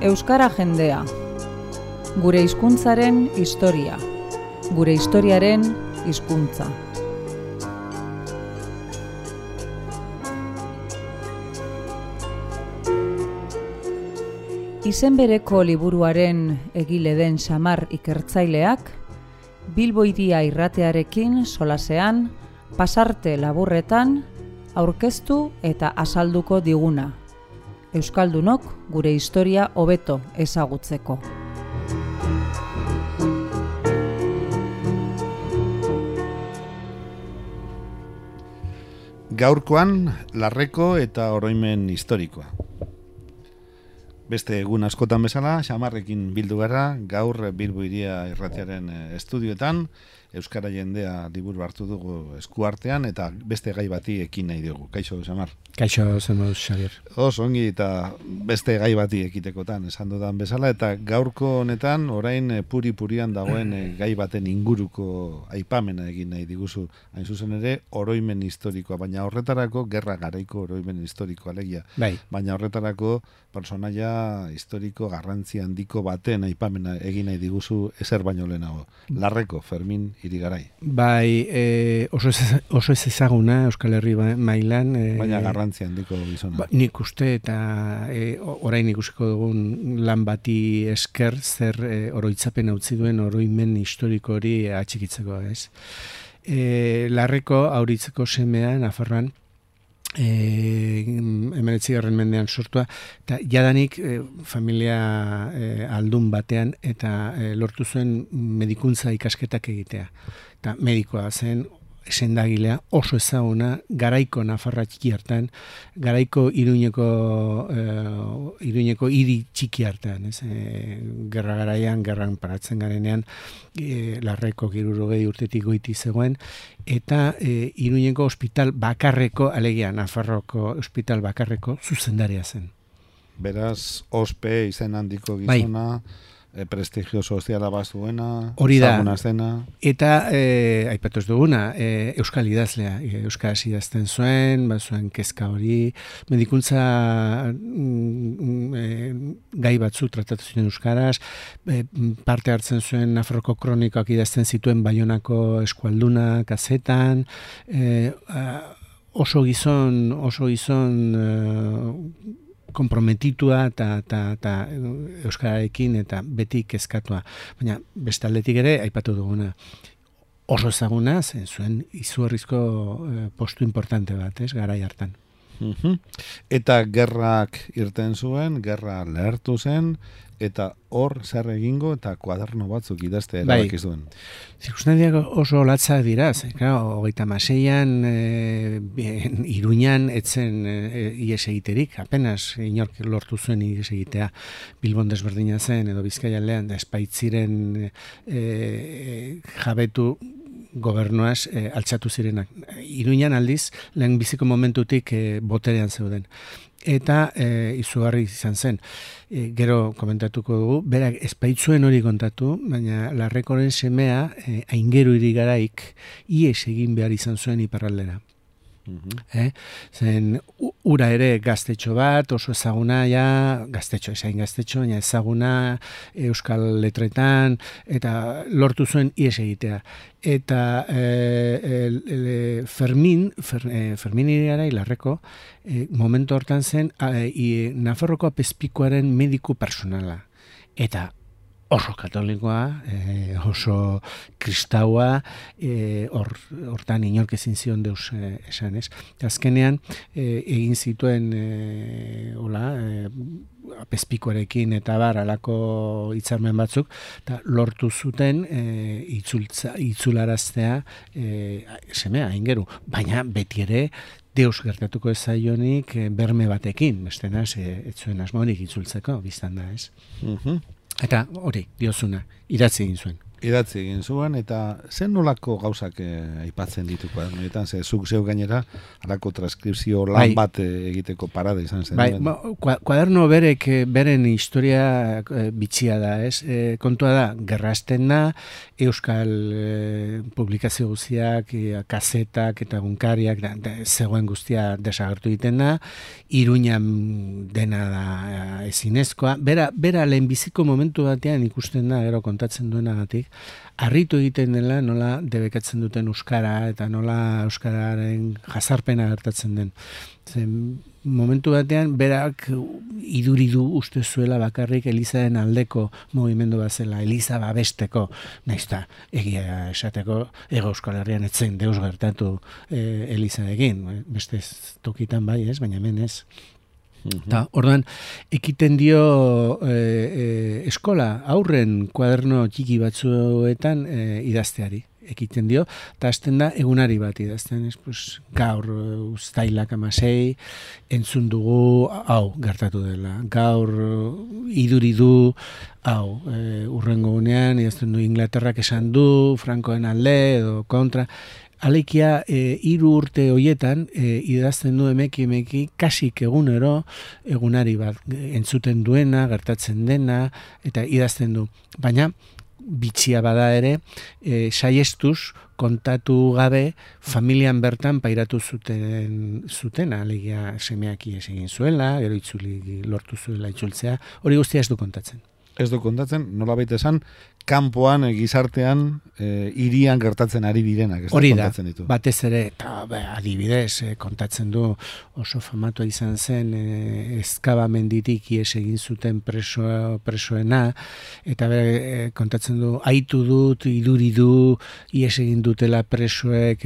Euskara jendea. Gure hizkuntzaren historia. Gure historiaren hizkuntza. Izen bereko liburuaren egile den Xamar ikertzaileak, Bilbo Hiria irratearekin solasean, pasarte laburretan, aurkeztu eta azalduko diguna. Euskaldunok gure historia hobeto ezagutzeko. Gaurkoan, larreko eta oroimen historikoa. Beste egun askotan bezala, Xamarrekin bildu gara, gaur Bilbo Hiria irratiaren estudioetan, Euskara jendea liburu hartu dugu eskuartean eta beste gai bati ekin nahi dugu. Kaixo, Xamar? Kaixo, zenbuz, Xavier. Ongi eta beste gai bati ekitekotan esan dudan bezala, eta gaurko honetan orain puri-purian dagoen gai baten inguruko aipamena egin nahi diguzu. Hain zuzen ere, oroimen historikoa, baina horretarako gerra garaiko oroimen historikoa alegia. Bai. Baina horretarako personaia historiko garrantzi handiko baten aipamena egin nahi diguzu ezer baino lehenago. Larreko, Fermin Irigarai. Bai, oso ez ezaguna Euskal Herri mailan. Baina garrantzi handiko gizona. Nik uste eta orain ikusiko dugun lan bati esker zer oroitzapen utzi duen oroimen historiko hori atxikitzeko, ez? Larreko auritzeko semea Nafarroan, 19. mendean sortua, eta jadanik familia aldun batean eta lortu zuen medikuntza ikasketak egitea. Eta medikoa zen, sendagilea oso ezaguna, garaiko Nafarra txiki hartan, garaiko Iruñeko hiri txiki hartan, ez? Gerra garaian, gerran paratzen garenean, larreko 60 urtetik goiti zegoen, eta Iruñeko ospital bakarreko, alegia Nafarroko ospital bakarreko zuzendaria zen. Beraz, ospe izen handiko gizona, bai. Prestigio soziala bazuena, ezaguna zena. Eta, aipatu ez duguna, euskal idazlea, euskaraz idazten zuen, bazuen kezka hori, medikuntza gai batzu tratatu zuen euskaraz, parte hartzen zuen Nafarroko kronikoak idazten zituen Baionako eskualduna, kazetan, oso gizon konprometitua eta euskararekin eta beti kezkatua. Baina bestaldetik ere, aipatu duguna, oso ezaguna zuen izugarrizko postu importante bat, ez, garai hartan. Eta gerrak irten zuen, gerra lehertu zen, eta hor zer egingo eta kuaderno batzuk idazte erabakiz duen. Zirkunstantzia oso latzak dira, hogeita maseian Iruñan etzen ies egiterik, apenas inork lortu zuen ies egitea. Bilbon desberdina zen, edo Bizkaian lehan, espaitziren jabetu gobernuaz altxatu zirenak. Iruñan aldiz, lehen biziko momentutik boterean zeuden. Eta izugarri izan zen. Gero komentatuko dugu, berak espaitzuen hori kontatu, baina larrekoren semea Aingeru Irigaraik ies egin behar izan zuen iparraldera. Zen ura ere gaztetxo bat, oso ezaguna gaztetxo, baina ezaguna euskal letretan, eta lortu zuen ies egitea. Eta Fermin Irigarai larreko, momentu hortan zen Nafarroko apezpikuaren mediku personala. Eta oso katolikoa, oso kristaua, hortan inork ezin zion deus esan, ez? Azkenean, egin zituen apezpikuarekin eta alako hitzarmen batzuk, eta lortu zuten itzularaztea semea, Aingeru. Baina beti ere, deus gertatuko ez zaionik berme batekin, bestena ez zuen asmorik itzultzeko, biztan da, ez? Eta hori, diozuna, idatzi egin zuen. Idatzi egin zuen, eta zen nolako gauzak aipatzen ditu kuadernoetan, zuk zeu gainera, halako transkripzio lan bat egiteko parada izan zen. Bai, kuaderno beren historia bitxia da, ez? Kontua da, gerrasten da, euskal publikazio guztiak, kazetak eta gunkariak, zegoen guztia desagertu egiten da, Iruñan dena da ezinezkoa. Bera lehenbiziko momentu batean ikusten da, gero kontatzen duenagatik, harritu egiten dela nola debekatzen duten euskara eta nola euskararen jazarpena gertatzen den. Momentu batean berak iduridu uste zuela bakarrik Elizaren aldeko mugimendu bat zela, Eliza babesteko, naizta egia esateko Hego Euskal Herrian etzen deus gertatu Eliza egin, beste tokitan bai ez, baina hemen ez. Ta, orduan, ekiten dio eskola aurren kuaderno txiki batzuetan idazteari. Ekiten dio, eta hasten da egunari bat idazten, gaur uztailak 16, entzun dugu, hau gertatu dela, gaur iduridu, hau, urrengo gunean, idazten du Inglaterrak esan du, Frankoen alde edo kontra. Alekia, 3 urte hoietan, idazten du emeki, kasik egunero, egunari bat entzuten duena, gertatzen dena, eta idazten du. Baina, bitxia bada ere, saiestuz, kontatu gabe, familian bertan pairatu zuten, alegia semeak ies egin zuela, gero itzuli lortu zuela itzultzea, hori guztia ez du kontatzen. Ez du kontatzen, nola baita esan, kanpoan, gizartean, hirian gertatzen ari direnak. Hori da, batez ere, eta adibidez, kontatzen du oso famatua izan zen, ezkabamenditik ies egin zuten presoena, eta kontatzen du, aitu dut, iduridu, ies egin dutela presoek,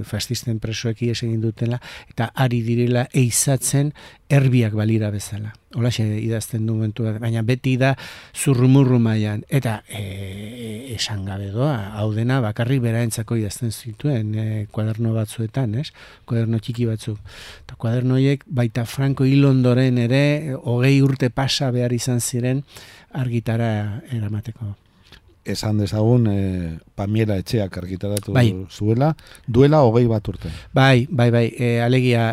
fascisten presoek ies egin dutela, eta ari direla eizatzen erbiak balira bezala. Holaxe idazten du momentu bat, baina beti da zurrumurru mailan, eta esan gabe doa, hau dena bakarrik beraentzako idazten zituen kuaderno batzuetan, ez? Kuaderno txiki batzuk. Eta kuaderno horiek baita Franco hil ondoren ere 20 urte pasa behar izan ziren argitara eramateko. Esan dezagun, Pamiela Etxeak argitaratu zuela, duela 20 urte. Bai, alegia,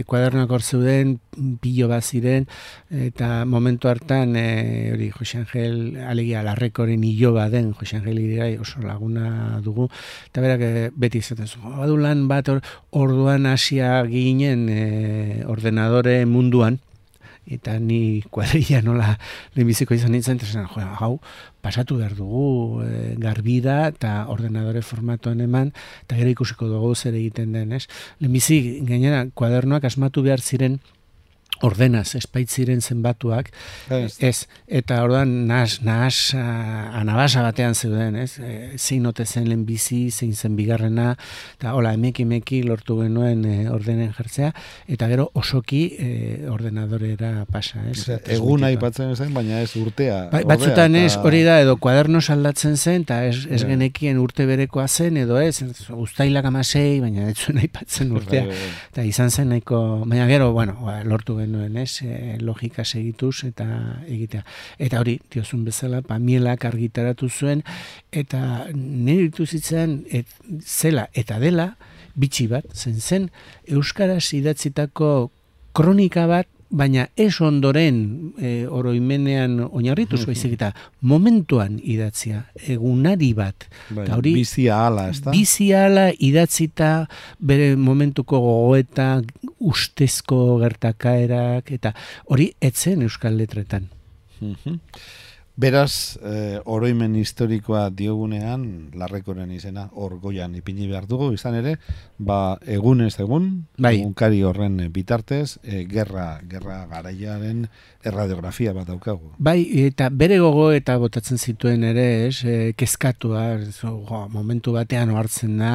kuadernoak hor zeuden, pilo bat ziren, eta momentu hartan, hori, Jose Angel, alegia, Larrekoren iloba den, Jose Angel Irigai oso laguna dugu, eta berak beti izaten zu, badu lan bat orduan hasia ginen ordenadore munduan, eta ni kuadrilla nola lehenbiziko izan nintzen, eta hau, pasatu behar dugu garbida eta ordenadore formatoan eman, eta gero ikusiko dugu zer egiten den, ez? Lehenbizi, gainera, kuadernoak asmatu behar ziren ordenaz, espaitziren zenbatuak, ez, eta orduan anabasa batean zeuden, ez, zein ote zen lehenbizi, zein zen bigarrena, eta hola, emeki lortu genuen ordenen jartzea, eta gero osoki ordenadorera pasa, ez. Eguna aipatzen zen, baina ez urtea. Batzutan ez, hori da, edo kuadernoz aldatzen zen, eta ez genekien urte berekoa zen, edo ez, uztailak 16, baina ez zuen aipatzen urtea, eta izan zen nahiko, baina gero, bueno, lortu genuen, ez, logika segituz eta egitea. Eta hori, diozun bezala, Pamielak argitaratu zuen, eta nire dituzitzen zela eta dela, bitxi bat, zen euskaraz idatzitako kronika bat, baina ez ondoren oroimenean oinarrituz, baizik eta momentuan idatzia, egunari bat. Bizia ala, ez da? Bizia ala idatzita bere momentuko gogoeta, ustezko gertakaerak, eta hori etzen euskal letretan. Beraz, oroimen historikoa diogunean, Larrekoren izena hor goian ipini behar dugu, izan ere, egunez egun, egunkari horren bitartez, gerra garaiaren erradiografia bat daukagu. Bai, eta bere gogo eta botatzen zituen ere, kezkatua, momentu batean ohartzen da,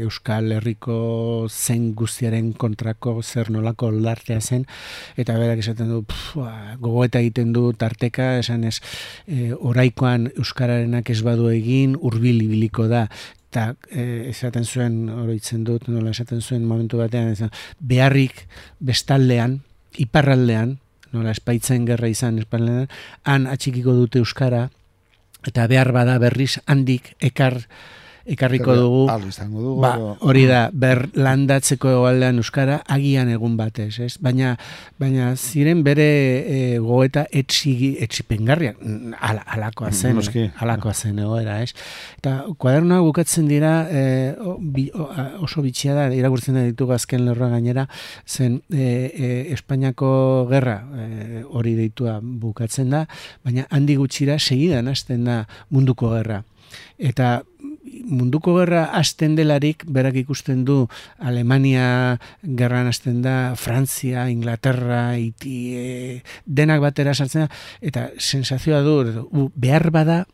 Euskal Herriko zen guztiaren kontrako zer nolako oldartea zen, eta berak esaten du, gogoeta egiten du tarteka, esan ez, oraikoan euskararenak ez badu egin, hurbil ibiliko da, eta esaten zuen, oroitzen dut, nola esaten zuen momentu batean, beharrik bestaldean, iparraldean, nola espaitzen gerra izan espaldean, han atxikiko dute euskara, eta behar bada berriz handik ekarriko dugu, hori da, landatzeko egoaldean euskara, agian egun batez, ez? Baina ziren bere goeta etxipengarriak, alakoa zen egoera, ez? Eta kuadernoak bukatzen dira, oso bitxia da, irakurtzen da ditugu azken lerroa gainera, zen Espainiako gerra hori deitua bukatzen da, baina handi gutxira segidan hasten da munduko gerra. Eta munduko gerra hasten delarik, berak ikusten du Alemania gerran hasten da, Frantzia, Inglaterra, Iti, denak batera sartzen da, eta sensazioa du, behar bada,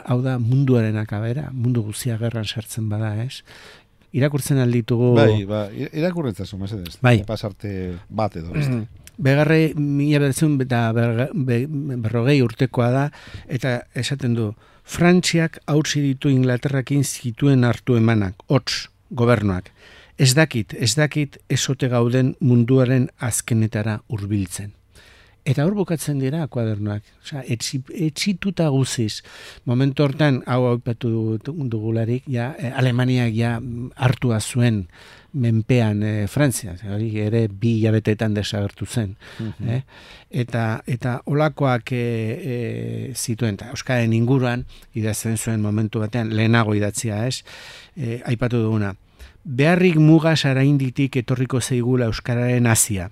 hau da munduaren akabera, mundu guzia gerran sartzen bada, ez? Irakurtzen alditugu... irakurretzazu, mesedez. Pasarte bat edo, beste. Begarre, 1940 urtekoa da, eta esaten du, Frantziak hautsi ditu Inglaterrakin zituen hartu emanak, hots, gobernuak. Ez dakit ezote gauden munduaren azkenetara hurbiltzen. Eta hor bukatzen dira kuadernoak. Osea, etxituta guziz. Momentu hortan, hau aipatu dugularik, Alemaniak hartua zuen menpean Frantzia, hori ere 2 hilabeteetan desagertu zen. Eta olakoak zituen, eta euskaren inguruan, idazten zuen momentu batean, lehenago idatzia, aipatu duguna. Beharrik mugaz arainditik etorriko zeigula euskararen hasia.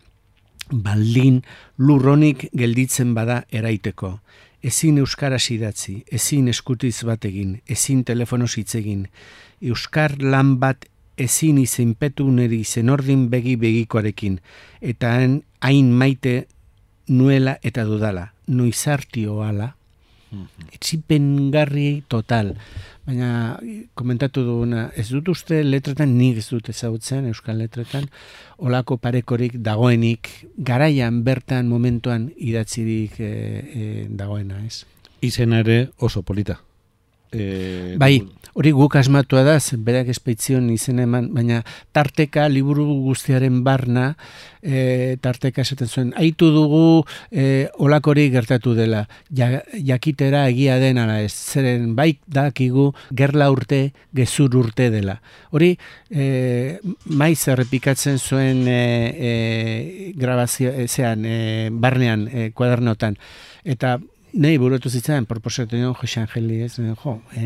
Baldin lurronik gelditzen bada eraiteko. Ezin euskaraz idatzi, ezin eskutiz bat egin, ezin telefonoz hitz egin. Euskar lan bat ezin izenpetu neri zenordin begikoarekin, eta hain maite nuela eta dudala, noizartio ala, etxipengarri total. Baina komentatu duguna, ez dut uste letretan, nik ez dut ezagutzen, euskal letretan, olako parekorik dagoenik, garaian bertan momentuan idatzirik dagoena, ez? Izena ere oso polita. Bai, hori guk asmatua da, berak espeitzion izen eman, baina tarteka, liburu guztiaren barna, tarteka esaten zuen, aitu dugu olakori gertatu dela, jakitera egia den ala ez, zeren baik dakigu gerla urte, gezur urte dela. Hori, maiz errepikatzen zuen grabazio, barnean, kuadernotan, eta nahi burutu zitzaren, proposatu nion Jose Angeli,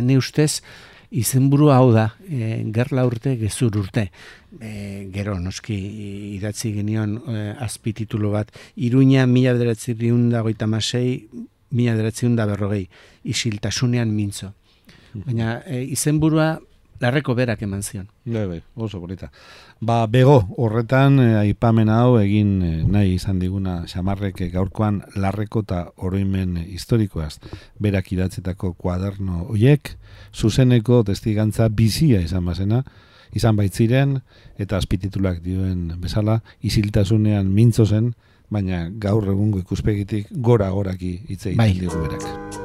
ne ustez, izenburu hau da, gerla urte, gezur urte. Gero, noski, idatzi genion azpititulu bat, Iruña 1956, 1940, isiltasunean mintzo. Baina izenburua larreko berak eman zion. Bai, oso bonita. Bego, horretan aipamen hau egin nahi izan diguna Xamarrek gaurkoan larreko eta oroimen historikoaz berak idatzetako kuaderno hoiek, zuzeneko testigantza bizia izan baitziren, eta azpititulak dioen bezala, isiltasunean mintzo zen, baina gaur egungo ikuspegitik gora-goraki hitz egiten digu berak.